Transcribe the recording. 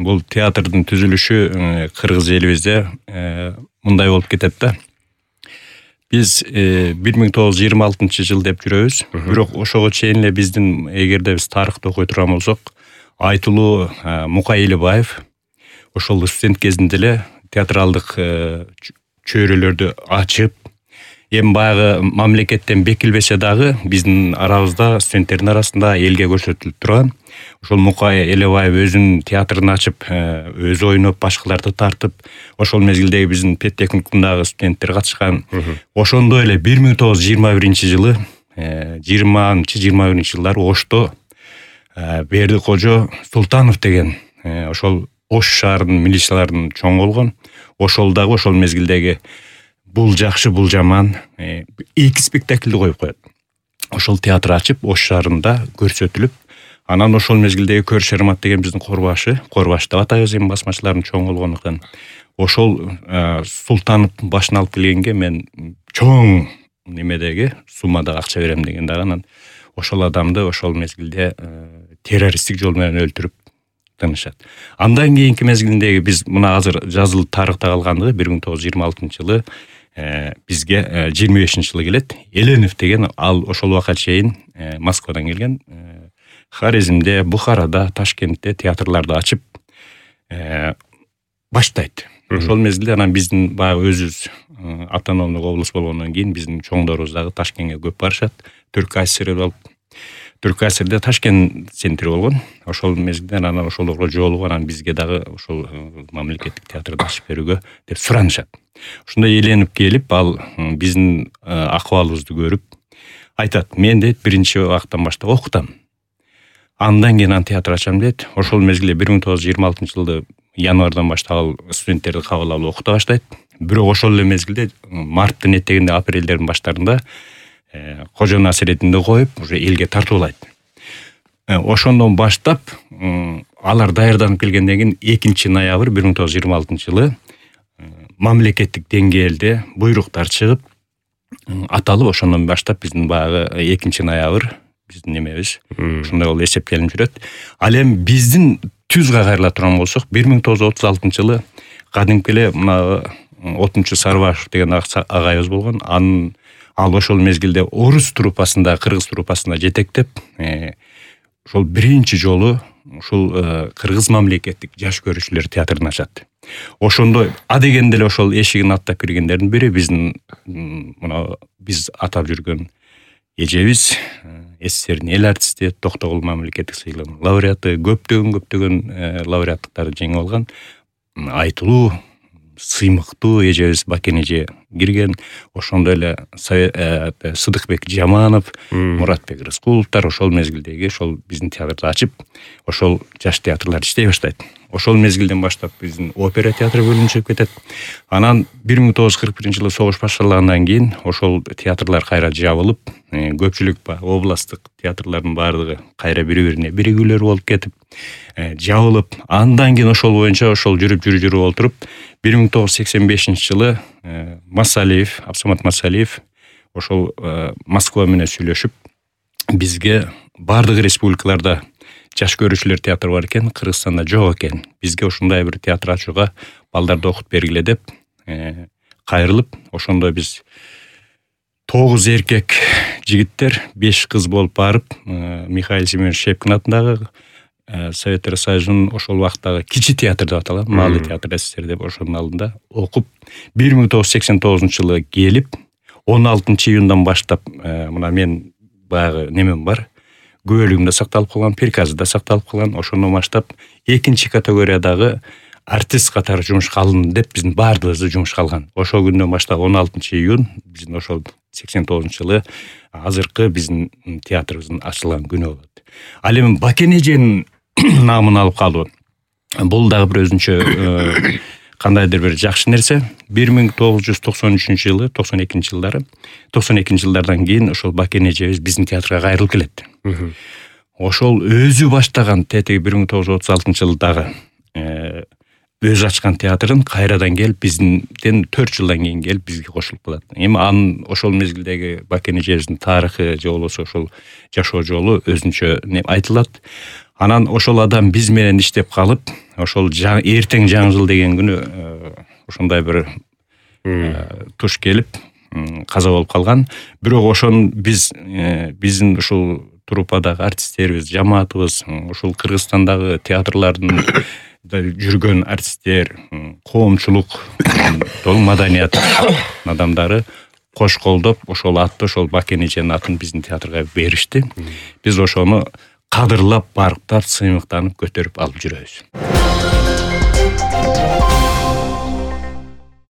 бул театрдын түзүлүшү кыргыз элибизде мындай болуп кетет да. Биз 1926 деп жүрөбүз. Бирок ошого чейин эле биздин эгерде биз тарыхты окуй турган болсок, айтылуу Мукай Элебаев ошол студент кезинде эле театралдык чөйрөлөрдү ачып, эми баягы мамлекеттен бекилбесе дагы биздин арабызда, студенттердин арасында элге көрсөтүлүп турган. Ошол Мукай Элебаев өзүнүн театрын ачып, өзү ойноп, башкаларды тартып, ошол мезгилдеги биздин педтехникумдагы студенттер катышкан. Ошондой эле 1921-жылы, 20-21 жылдары Ошто Бердикожо Султанов деген ошол Ош шаарынын милицияларынын чоңу болгон. Ошол дагы ошол мезгилдеги бул жакшы, бул жаман 2 спектакльди коюп коет. Ошол театр ачып, Ош шаарында көрсөтүлүп, анан ошол мезгилдеги Көр Шермат деген биздин Корбаш деп атайбыз, эми басмачылардын чоңу болгондуктан. Ошол Султанов башын алып келгенге мен чоң немедеги суммада акча берем деген дагы, анан ошол адамды ошол мезгилде террористтик жол менен өлтүрүп тынышат. Андан кийинки мезгилиндеги биз мына азыр жазылып тарыхта калгандыгы 1926-жылы бизге 25-жылы келет. Эленов деген ал ошол убакка чейин Москвадан келген. Хорезмде, Бухарада, Ташкентте театрларды ачып баштайт. Ошол мезгилде анан биздин баягы өзүбүз автономдук область болгондон кийин биздин чоңдорубуз дагы Ташкентке көп барышат. Түрк АСР болуп, Түрк АСРде Ташкент центри болгон. Ошол мезгилде анан ошолорго жолугуп, анан бизге дагы ошол мамлекеттик театрды ачып берүүгө деп суранышат. Ошондой Эленип келип, ал биздин акыбалыбызды көрүп айтат: "Мен дейт биринчи убактан баштап окутам. Андан кийин театр ачам" дейт. Ошол мезгилде 1926-жылы январдан баштап ал студенттерди кабыл алып окута баштайт. Бирок ошол эле мезгилде марттын этегинде, апрелдердин баштарында Кожо Насиретдинди коюп, уже элге тартуулайт. Ошондон баштап алар даярданып келгенден кийин 2-ноябрь 1926-жылы мамлекеттик деңгээлде буйруктар чыгып аталып, ошондон баштап биздин баягы 2-ноябрь биздин немебиз ошондой болуп эсептелип жүрөт. Ал эми биздин түзгө кайрыла турган болсок, 1936-жылы кадимки эле мына Отунчу Сарбашев деген агайыбыз болгон. Ал ошол мезгилде орус труппасында, кыргыз труппасында жетектеп, ошол биринчи жолу ушул кыргыз мамлекеттик жаш көрүүчүлөр театрын ачат. Ошондой адегенде эле ошол эшигин аттап киргендердин бири биздин мына биз атап жүргөн эжебиз, СССРдин эл артисти, Токтогул мамлекеттик сыйлыгынын лауреаты, көптөгөн лауреаттыктарды жеңип алган айтылуу, сыймыктуу эжебиз Бакен эже кирген. Ошондой эле Сыдыкбек Жаманов, Муратбек Рыскуловдор ошол мезгилдеги ошол биздин театрды ачып, ошол жаш театрлар иштей баштайт. Ошол мезгилден баштап биздин опера театры бөлүнүп кетет. Анан 1941-жылы согуш башталгандан кийин ошол театрлар кайра жабылып, көпчүлүк областтык театрлардын баардыгы кайра бири-бирине биригүүлөр болуп кетип, жабылып, андан кийин ошол боюнча ошол жүрүп олтуруп 1985-жылы Масалиев, Абсамат Масалиев ошол Москва менен сүйлөшүп, бизге баардык республикаларда жаш көрүүчүлөр театры бар экен, Кыргызстанда жок экен. Бизге ушундай бир театр ачууга, балдарды окутуп бергиле деп кайрылып, ошондой биз 9 эркек жигиттер, 5 кыз болуп барып, Михаил Семенович Шепкин атындагы Советтер Союзунун ошол убактагы кичи театр деп аталган, Малый театр СССР деп ошонун алдында окуп, 1989-жылы келип, 16-июндан баштап мына мен баягы немем бар, күбөлүгүмдө сакталып калган, приказы да сакталып калган. Ошондон баштап 2-чи категориядагы артист катары жумушка алын деп биздин баардыгыбызды жумушка алган. Ошол күндөн баштап 16-июнь биздин ошол 89-жылы азыркы биздин театрыбыздын ачылган күнү болот. Ал эми Бакен эженин намын алып калуу бул дагы бир өзүнчө кандайдыр бир жакшы нерсе. 1993-жылы, 92 жылдардан кийин ошол Бакен эжебиз биздин театрга кайрылып келет. Ошол өзү баштаган тетиги 1936-жылдагы өзү ачкан театрын кайрадан келип бизден 4 жылдан кийин келип бизге кошулуп калат. Эми анын ошол мезгилдеги Бакен эжебиздин тарыхы же болбосо ошол жашоо жолу өзүнчө айтылат. Анан ошол адам биз менен иштеп калып, ошол эртең жаңы жыл деген күнү ошондой бир туш келип каза болуп калган. Бирок ошону биздин ушул труппадагы артисттерибиз, жамаатыбыз, ушул Кыргызстандагы театрлардын жүргөн артисттер, коомчулук, толук маданият адамдары кош колдоп, ошол атты, ошол Бакен эженин атын биздин театрга беришти. Биз ошону кадырлап, барктап, сыймыктанып көтөрүп алып жүрөбүз.